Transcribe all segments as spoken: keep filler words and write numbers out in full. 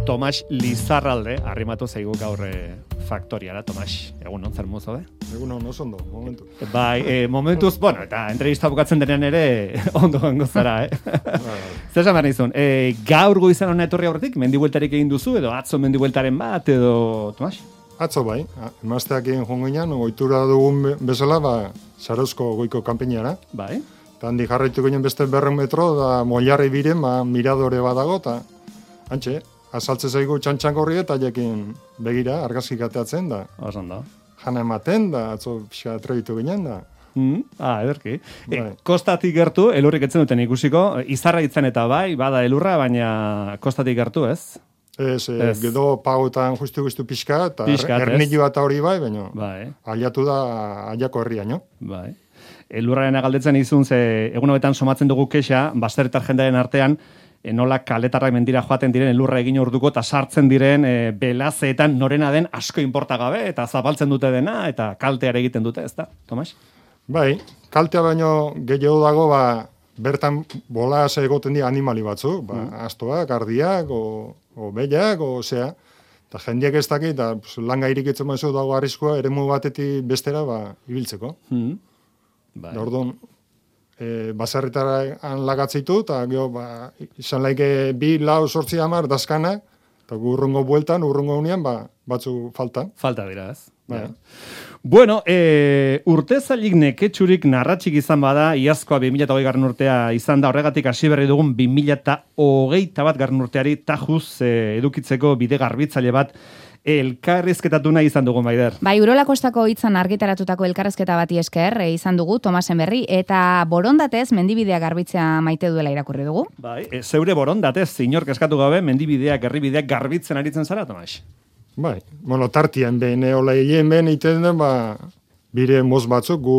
Tomas Lizarralde, arrimatu zaigu gaur e, faktoriara, Tomas. Egun non, zer mozo, be? Egun on, oso ondo, momentu. Bai, e, momentuz, bueno, eta entrevista bukatzen denean ere ondo gango zara, eh? Zer esan behar nizun, e, gaur goizan hona etorri aurretik, mendibueltarik egin duzu, edo atzo mendibueltaren bat, edo, Tomas? Atzo bai, emazteak egin jongo ginen, ohitura dugun bezala, ba, Zarauzko goiko kanpeinara. Bai. Eta handi jarraitu ginen beste berren metro, da Moiarri biren, ba, miradore badago, eta antxe, azaltze zaigu txantxangorri eta jakin begira, argazkik ateatzen, da. Osan da. Jana ematen, da, atzo pixka trebitu ginen, da. Mm, ah, ederki. Bai. E, kostatik gertu, elurrik etzen duten ikusiko, izarra itzen eta bai, bada elurra, baina kostatik gertu, ez? Ez, ez. Gedo pagoetan justu-justu pixka, eta ernilua eta hori bai, baina bai. Aliatu da aliako herriaino. Bai. Elurraren galdetzen izun, ze egun hobetan somatzen dugu kexa, basterritar jendearen artean, e, nola kaletarrak mendira joaten diren elurra egin orduko, eta sartzen diren e, belazeetan norena den asko inporta gabe, eta zabaltzen dute dena, eta kalteare egiten dute, ez da, Tomas? Bai, kaltea baino gehiago dago, ba, bertan bolaz egoten dira animali batzu, ba, mm. astoak, ardiak, o, o behiak, o zea, eta jendeak ez dakit, eta pues, langa irikitzen maizu dago arriskua, eremu batetik bestera, ba, ibiltzeko. Mm. Bai. Da orduan, e, baserritara lagatzeitu, eta gero, ba, izan laike bi, lau, sortzi hamar, dazkanak, eta urrungo bueltan, urrungo unian, ba, batzu falta. Falta dira, ez? Bai. Ja. Bueno, e, urte zailik neketxurik narratxik izan bada, iazkoa bi mila hogei garren urtea izan da, horregatik hasi berri dugun bi mila hogeita bat garren urteari tajuz e, edukitzeko bide garbitzaile bat elkarrizketatu nahi izan dugu, Maider. Bai, Urola Kostako hitzan argitaratutako elkarrizketa bati esker e, izan dugu Tomasen berri, eta borondatez mendibidea garbitzea maite duela irakurri dugu. Bai, e, zeure borondatez, inork eskatu gabe, mendibideak, herribideak garbitzen aritzen zara, Tomas? Bai, bueno, tartian behin, hola egin behin iten den, ba, bire moz batzuk, gu,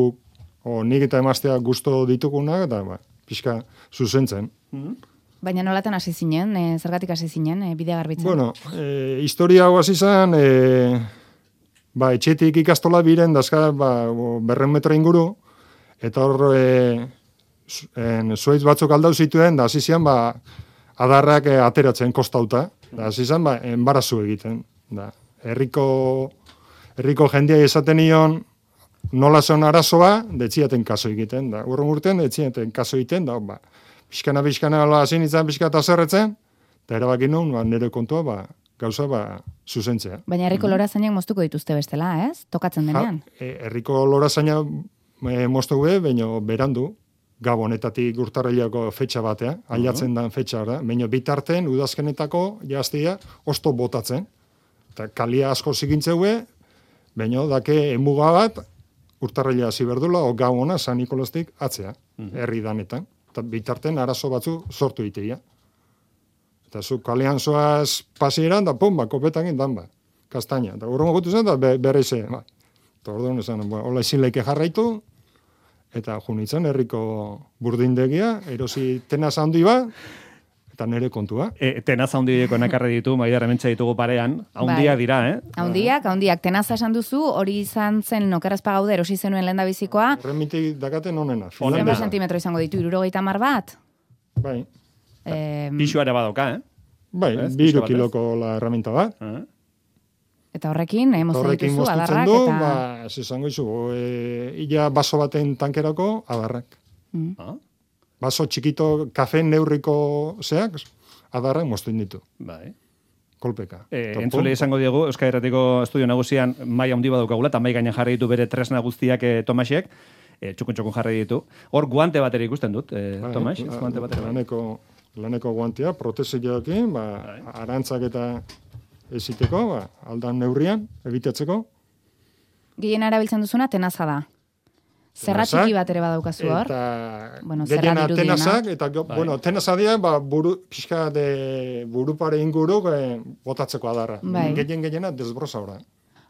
o, nik eta emaztea gusto ditugunak, eta, ba, pixka zuzentzen. Mm-hmm. Baina nolatan hasi zinen, e, zergatik hasi zinen, e, bidea garbitzen? Bueno, e, historia hau hasi izan, e, ba, etxetik ikastola biren, dazka, ba, berren metro inguru, eta hor, e, zuaitz batzuk aldau zituen, da hasi zian, ba, adarrak e, ateratzen kostauta, da hasi izan, ba, enbarazu egiten. Da, herriko, herriko jendia esaten nion, nola zon arazoa, detziaten kaso egiten, da, urrun urtean, detziaten kaso egiten, da, ba, pixkana, pixkana, hasi nintzen, pixkata zerretzen, eta erabakin nuen, ba, nire kontua, ba, gauza, ba, zuzentzea. Baina herriko lorazainak moztuko dituzte bestela, ez? Tokatzen denean. Ha, e, herriko lorazainak e, moztuko be, baina berandu, Gabonetatik urtarrilako fetxa batea, ailatzen dan fetxa, da, baina bitarten, udazkenetako, jaztia, osto botatzen. Eta kalia asko zigintzeue, baina dake emuga bat, urtarrila hasi berdula, o Gabona, San Nikolastik, atzea, herri danetan. Eta bitarten arazo batzu sortu iteia. Eta zu kalean zoaz pasieran, da pum, ba, kopetan dan, ba, kastaina. Eta urrongo gutu zen, da be, berreize, ba. Eta orduan esan, ba, hola ezin leike jarraitu, eta junitzen herriko burdindegia, erosi tenaz handi ba, eta nire kontua. E, tenaz handieko nakarri ditu, Maider, hementsa ditugu parean, haundiak dira, eh? Haundiak, haundiak, tenaza esan duzu, hori izan zen nokerazpa gaude, erosi zenuen lehen da bizikoa. Remiti dakaten onena. Zenbat sentimetro izango ditu, irurogeita mar bat? Bai. Eh, Pixua ere badoka, eh? Bai, biru kiloko la herramienta bat. Uh-huh. Eta horrekin, eh, moztu dituzu, adarrak, du, eta... Ba, ez izango izu, e, illa baso baten tankerako, adarrak. Mm. Ah? Baso txikito, kafe neurriko zeak, adarrak mozten ditu. Bai. Kolpeka. E, entzule izango diegu, Euskal Herratiko estudio nagusian mai handi badukagula, eta mai gainean jarri ditu bere tresna guztiak e, Tomasek, e, txukun-txukun jarri ditu. Hor guante batera ikusten dut, e, bai, Tomas, ez guante batera. Laneko, laneko guantea, protezioekin, ba, bai. Arantzak eta eziteko, ba, aldan neurrian, ebitatzeko. Gehien arabiltzen duzuna, tenaza da. Zerra txiki bat ere badaukazu hor. Eta bueno, gehiena tenazak, eta bai. bueno, tenazadia, ba, buru, pixka de burupare inguru eh, botatzeko adarra. Bai. Gehien gehiena desbrozadora.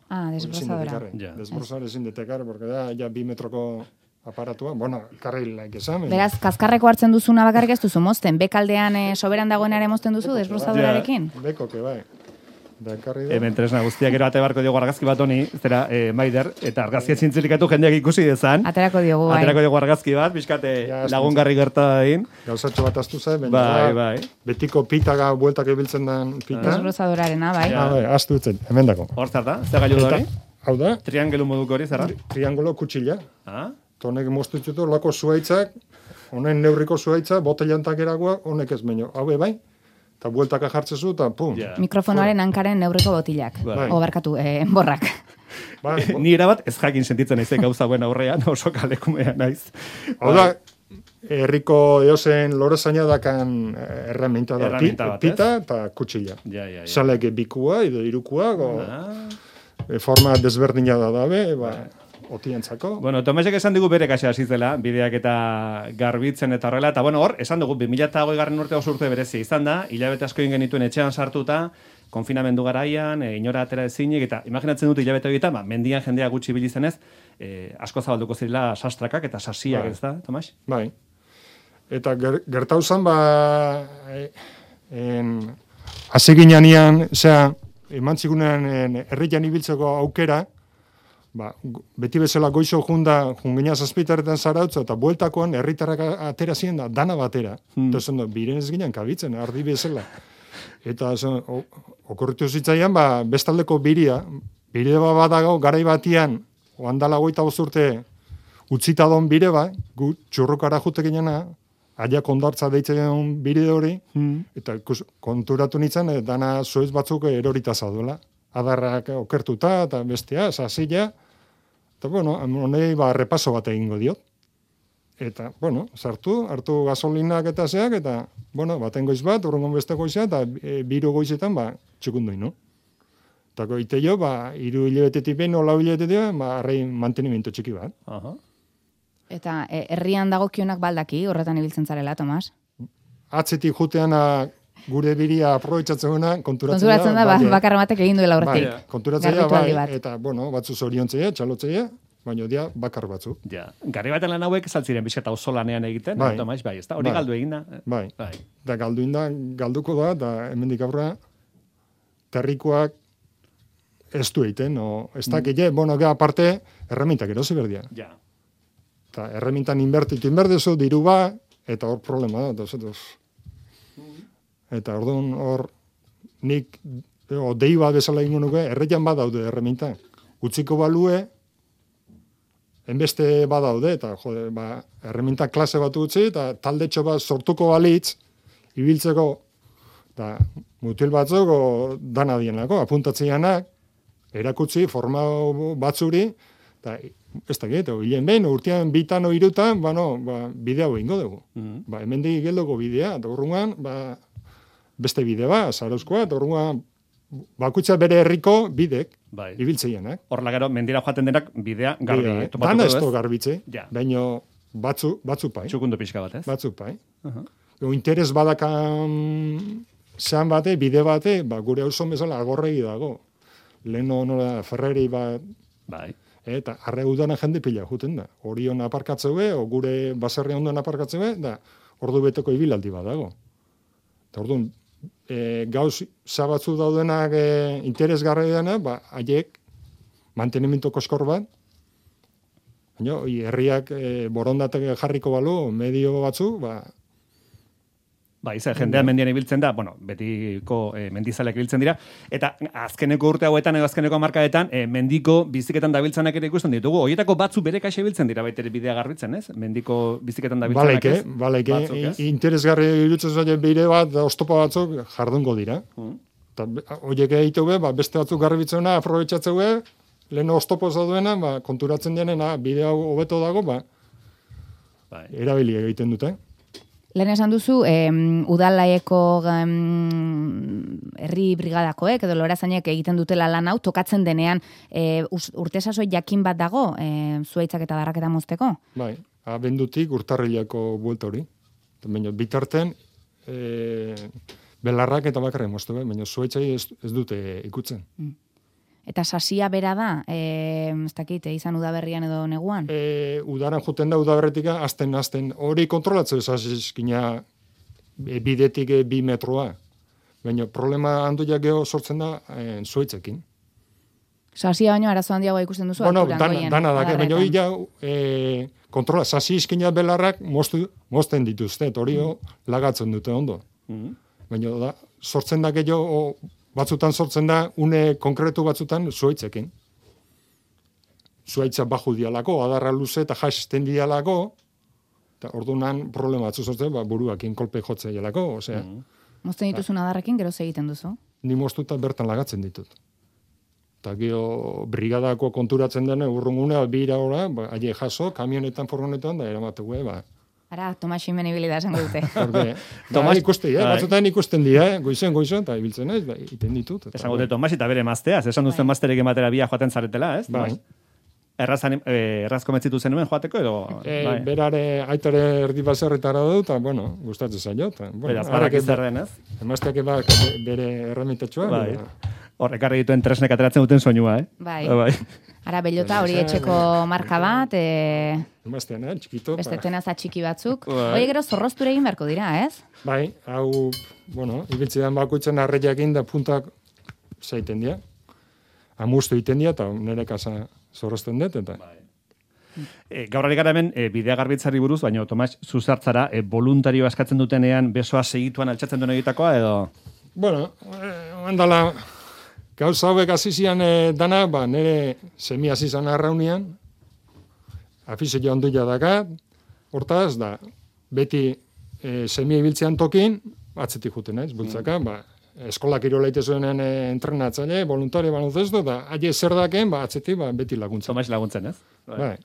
Ah, desbrozadora. Ja. Desbrozadora ezin detekar, porque da, ja bi metroko aparatua, bueno, karrilaik esan. Beraz, kaskarreko hartzen duzuna bakarrik ez duzu mozten, bekaldean e, soberan dagoenare mozten duzu, desbrozadorarekin? Ja, beko, que bai. Da, ekarri da. Hemen tresna guztiak gero ate barko diogu argazki bat honi, zera, eh, Maider, eta argazkia zintzilikatu jendeak ikusi dezan. Aterako diogu, bai. Aterako diogu argazki bat, bizkate Ja, lagungarri gerta dain. Gauzatxo bat astu zai, baina Bai, da, bai. betiko pitaga bueltak ibiltzen den pita. Desbrozadorarena, bai. Ah, bai, astu itzen, hemen dako. Hor zer da, zer gailu da hori? Hau da, Triangelu moduko hori, zerra? triangulo kutxila. Ah? Honek moztu ditutu lako zuaitzak, honen neurriko zuaitza, botelantak eragoa, honek ez meño. Hau bai, eta bueltaka jartzezu, eta pum. Ja. Mikrofonoaren hankaren neurriko botilak. Bai. O barkatu, eh, borrak. Bai, bo- Ni erabat ez jakin sentitzen naizek gauza buen aurrean, oso kalekumea naiz. Hau da, herriko eozen lorezaina dakan eh, erreminta da. Erreminta Pi- bat, ez? Pita eta kutxila. Ja, ja, ja. Salek bikua, edo irukua, go, Ah. e, forma desberdina da dabe, ba, otientzako. Bueno, Tomasek esan digu bere kaxa hasi zela, bideak eta garbitzen eta horrela, eta bueno, hor, esan dugu, bi mila hogei garren urte oso urte berezia izan da, hilabete asko egin genituen etxean sartuta, konfinamendu garaian, e, inora atera ezinik, eta imaginatzen dut hilabete horietan, ba, mendian jendea gutxi bilizenez, e, asko zabalduko zirela sastrakak eta sasiak, Bai. ez da, Tomas? Bai. Eta ger, gertauzan, ba, e, en, hasi ginean, zera, eman zigunean en, herrian ibiltzeko aukera, ba, gu- beti bezala goizo junda, jungina zazpitaretan zarautza, eta bueltakoan herritarrak a- atera ziren da, dana batera. Hmm. Eta zen, biren ez ginen kabitzen, ardi bezala. Eta zen, o- okorritu zitzaian, ba, bestaldeko biria, bire bat badago, garai batian, oandala goita bozurte, utzita don bire ba, gu txurrukara jute ginena, aiak ondartza deitzen bire hori, eta ikus, konturatu nintzen, eh, dana zoiz batzuk erorita zaduela. Adarrak okertuta, eta bestea, sasila, eta bueno, honei ba, repaso bat egingo diot. Eta, bueno, sartu, hartu gasolinak eta zeak, eta, bueno, baten goiz bat, urrungon beste goizea, eta e, biru goizetan, ba, txukundu ino. Eta goite jo, ba, iru hilabetetik behin, olau hilabetetik, ba, arrein mantenimiento txiki bat. Aha. Eta eh, herrian dagokionak baldaki, horretan ibiltzen zarela, Tomas. Atzetik juteana gure biria aprobetxatzeuna, konturatzen, Konturatzen da, ba, bai, bakar batek egin duela horretik. bai, konturatzea, Garbitu aldi bai, bat. eta, bueno, batzu zoriontzeia, txalotzeia, baina dia bakar batzu. Ja, garri baten lan hauek saltziren bizkata oso lanean egiten, Bai. eh, Tomas, bai, ez da, hori Bai. galdu egin da. Bai. Bai. Da galduin da, galduko da, da hemendik aurra, terrikoak ez du egiten, o, ez dakile, bueno, ga aparte, erremintak erosi berdia. Ja. Eta erremintan inbertitu inberdezu, diru ba, eta hor problema da, eta zetos. Eta orduan hor, nik, o, dei bat bezala ingo nuke, erreian badaude erreminta. Utziko balue, enbeste badaude, eta jode, ba, erreminta klase bat utzi, eta taldetxo bat sortuko balitz, ibiltzeko, eta mutil batzuk, o, dana dienako, apuntatzeanak, erakutsi, forma batzuri, eta ez da gehiago, hilen behin, urtean bitan o irutan, ba, no, ba, bidea hau ingo dugu. Mhm. Ba, hemendik geldoko bidea, eta urrungan, ba, beste bide ba, zarauzkoa, eta urrungan, bakutsa bere herriko bidek, Bai. ibiltzeianak. Horla gero, mendira joaten denak bidea garbi Bidea, eh? topatuko Dana du, ez ez? du garbitze, Ja. baino batzu, batzu pai, Txukundu pixka bat, ez? batzu pai. Aha. O interes badakan zean bate, bide bate, ba, gure auzo bezala agorregi dago. Leno nola Ferrari bat, Bai. eta arre udana jende pila juten da. Orion aparkatzeu be, o gure baserri ondoan aparkatzeu be, da ordu beteko ibilaldi bat dago. Eta orduan, e, gauz zabatzu daudenak e, interesgarri dena, ba, haiek mantenimiento koskor bat, baina herriak e, borondatek jarriko balu, medio batzu, ba, Bai, ze jendea mendian ibiltzen da, bueno, betiko eh, mendizaleak ibiltzen dira, eta azkeneko urte hauetan edo azkeneko hamarkadetan eh, mendiko biziketan dabiltzanak ere ikusten ditugu. Horietako batzu bere kaxa ibiltzen dira baitere bidea garbitzen, ez? Mendiko biziketan dabiltzanak, balaike, ez? balaike, Batzuk, ez? i- interesgarri irutzen zaien bide bat, da oztopa batzuk jardungo dira. Mm. Eta horiek egitu be, ba, beste batzuk garbitzena, aprobetxatzeu be, lehen oztopo zaduena, ba, konturatzen denena, bide hau hobeto dago, ba, Bai. erabili egiten dute. Lehen esan duzu, em, udalaeko em, herri brigadakoek edo lorazainek egiten dutela lan hau, tokatzen denean e, urte sasoi jakin bat dago, e, zuaitzak eta darraketa mozteko? Bai, abendutik urtarrilako buelta hori. Baina bitarten, e, belarrak eta bakarren moztu, baina zuaitzai ez, ez dute ikutzen. Eta sasia bera da, e, ez dakit, eh, izan udaberrian edo neguan? E, udaran juten da udaberretika, azten, azten, hori kontrolatzeu esazizkina e, bidetik e, bi metroa. Baina problema handoiak geho sortzen da eh, zuaitzekin. Sasia baino arazo handiagoa ikusten duzu Bueno, alturan dana, goien, dana da, baina adarretan. hori ja, e, kontrola, sasi izkina belarrak moztu, mozten dituzte, eta hori mm. lagatzen dute ondo. Mm. Baina da, sortzen da gehiago, batzutan sortzen da, une konkretu batzutan zuaitzekin. Zuaitza baju dialako, adarra luze eta jasten dialako, eta orduan problema batzu sortzen, ba, buruakin kolpe jotze dialako, osea. Mm. Mozten dituzun adarrekin, gero egiten duzu? Ni moztuta bertan lagatzen ditut. Eta gero brigadako konturatzen dene urrungunea bira ora, ba, aie jaso, kamionetan, furgonetan, da eramategu, ba. Ara, Tomasin benibili da esango dute. Porque, Tomas, ba, ikusten, eh? bai. batzutan ikusten dira, eh? goizen, goizen, eta ibiltzen naiz, ba, iten ditut. Eta, Esango dute Tomas eta bere mazteaz, esan duzten mazterek ematera bia joaten zaretela, ez? Bai. Errazan, eh, erraz komentzitu zenuen joateko edo? E, bai. berare, aitare erdi baserritara du, eta, bueno, gustatzen zaio. Ta, bueno, Beraz, barak zer den, ez? Emazteak eba bere erramitatxoa. Bai. Bera. Hor, ekarri dituen tresnek ateratzen duten soinua, eh? Bai. bai. Ara, bellota hori etxeko marka bat, e, Emaztean, eh? txikito. beste ba. tenaza txiki batzuk. Bai. Hoi gero zorrozture egin beharko dira, ez? Bai, hau, bueno, ibiltzean bakoitzen arreiakin da puntak zaiten dira. Amustu iten dira, eta nire kasa zorrozten dut, eta... Bai. E, gaur ari gara hemen e, bidea garbitzari buruz, baina Tomas zuzartzara e, voluntarioa eskatzen dutenean besoa segituan altxatzen duen egitakoa edo... Bueno, eh, ondala, gauza hauek azizian eh, dana, ba, nire semi azizan arraunian, afize joan duia dakat, hortaz, da, beti eh, semi ibiltzean tokin, atzetik juten naiz, bultzaka, ba, eskola kirola itezuenen eh, entrenatzaile, voluntario baloncesto, da, aie zer daken, ba, atzetik, ba, beti laguntzen. Tomas laguntzen, ez? Bai.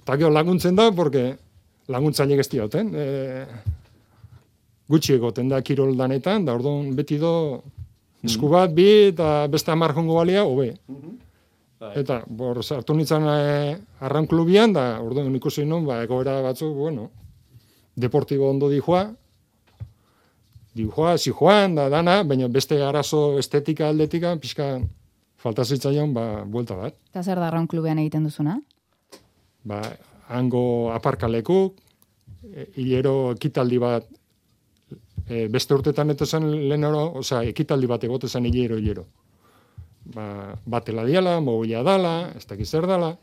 Eta gero laguntzen da, porque laguntzaile gezti hauten. E, gutxi egoten da kirol danetan, da orduan beti do esku bat, bi, eta beste hamar jongo balia, hobe. Bai. Eta, bor, sartu nintzen e, arraun klubian, da orduan ikusi non, ba, egoera batzuk, bueno, deportibo ondo dijoa, dijoa, zijoan, da dana, baina beste arazo estetika aldetika, pixka falta zitzaion, ba, buelta bat. Eta zer da Arraun klubean egiten duzuna? Ba, hango aparkalekuk, e, hilero ekitaldi bat, e, beste urtetan eto zen lehenero, osea, ekitaldi bat egote zen hilero, hilero. Ba, batela diala, mobila dala, ez dakiz zer dala,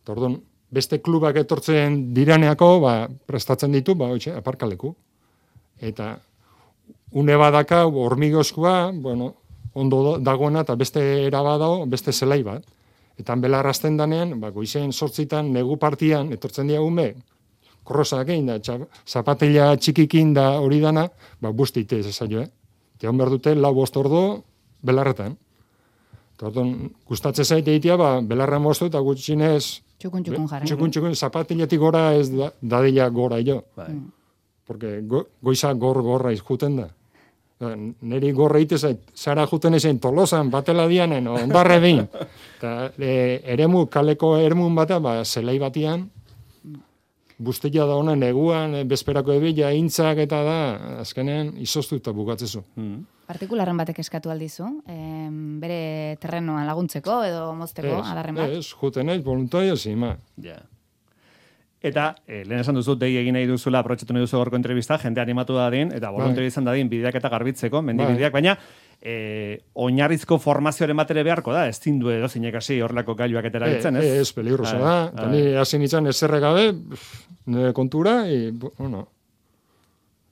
eta orduan, beste klubak etortzen diraneako, ba, prestatzen ditu, ba, oitxe, aparkaleku. Eta, une badaka, hormigozkoa, bueno, ondo dagoena, eta beste erabadago, beste zelai bat. Eta belarrazten danean, ba, goizen sortzitan, negu partian, etortzen dira ume, korrosak egin da, zapatila txikikin da hori dana, ba, busti ite ez zailo, eh? Eta hon behar dute, lau bost ordo, belarretan. Eta orduan, gustatzen zaite egitea, ba, belarra moztu, eta gutxinez... Txukun txukun jarri. Txukun txukun, zapatiletik gora ez da, dadila gora jo. Bai. Porque go, goiza gor gorra izjuten da. Neri gorra ite zait, zara juten ezen Tolosan, batela dianen, ondarre behin. Eta e, eremu, kaleko eremun bata, ba, zelai batian, bustila da honen eguan, bezperako ebila, intzak eta da, azkenean, izoztu eta bukatzezu. Mm. Partikularren batek eskatu aldizu, em, bere terrenoan laguntzeko edo mozteko adarren bat? Ez, juten ez, voluntario zima. Ja. Eta, eh, lehen esan duzu, dei egin nahi duzula, aprotxetu nahi duzu gorko entrevista, jende animatu dadin, eta voluntario izan dadin, bideak eta garbitzeko, mendibideak, baina, eh, oinarrizko formazioaren batere beharko da, ez zindu edo zinek hasi horrelako gailuak etera bitzen, ez? Ez, ez, peligrosa da. Eta ni hasi nintzen ezerre gabe, nire kontura, e, bueno,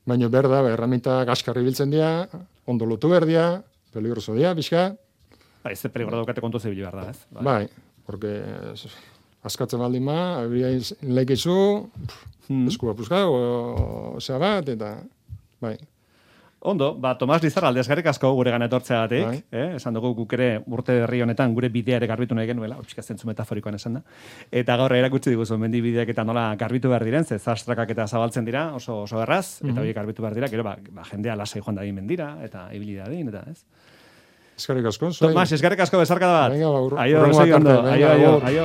baina berda, erramita gaskarri biltzen dira, ondo lotu berdia, peligroso dira, bizka. Ba, ez peligro daukate kontu zibili behar da, ez? Bai, porque askatzen baldin ma, abria leikizu, hmm. eskua puzka, o, osea bat, eta, bai. Ondo, ba, Tomas Lizarra aldezgarrik asko gure gana etortzeagatik, Bai. eh? Esan dugu guk ere urte herri honetan gure bidea ere garbitu nahi genuela, hau pixka zentzu metaforikoan esan da. Eta gaur erakutsi diguzu mendi bideak eta nola garbitu behar diren, ze zastrakak eta zabaltzen dira, oso oso erraz, eta horiek garbitu behar dira, gero ba, ba jendea lasai joan dadin mendira, eta ibili dadin, eta ez. Eskarrik asko. zuei. Tomas, eskerrik asko bezarka da bat. Venga, ba, Aio, hurrengo segi ondo. arte, venga, Aio, aio, agur. aio.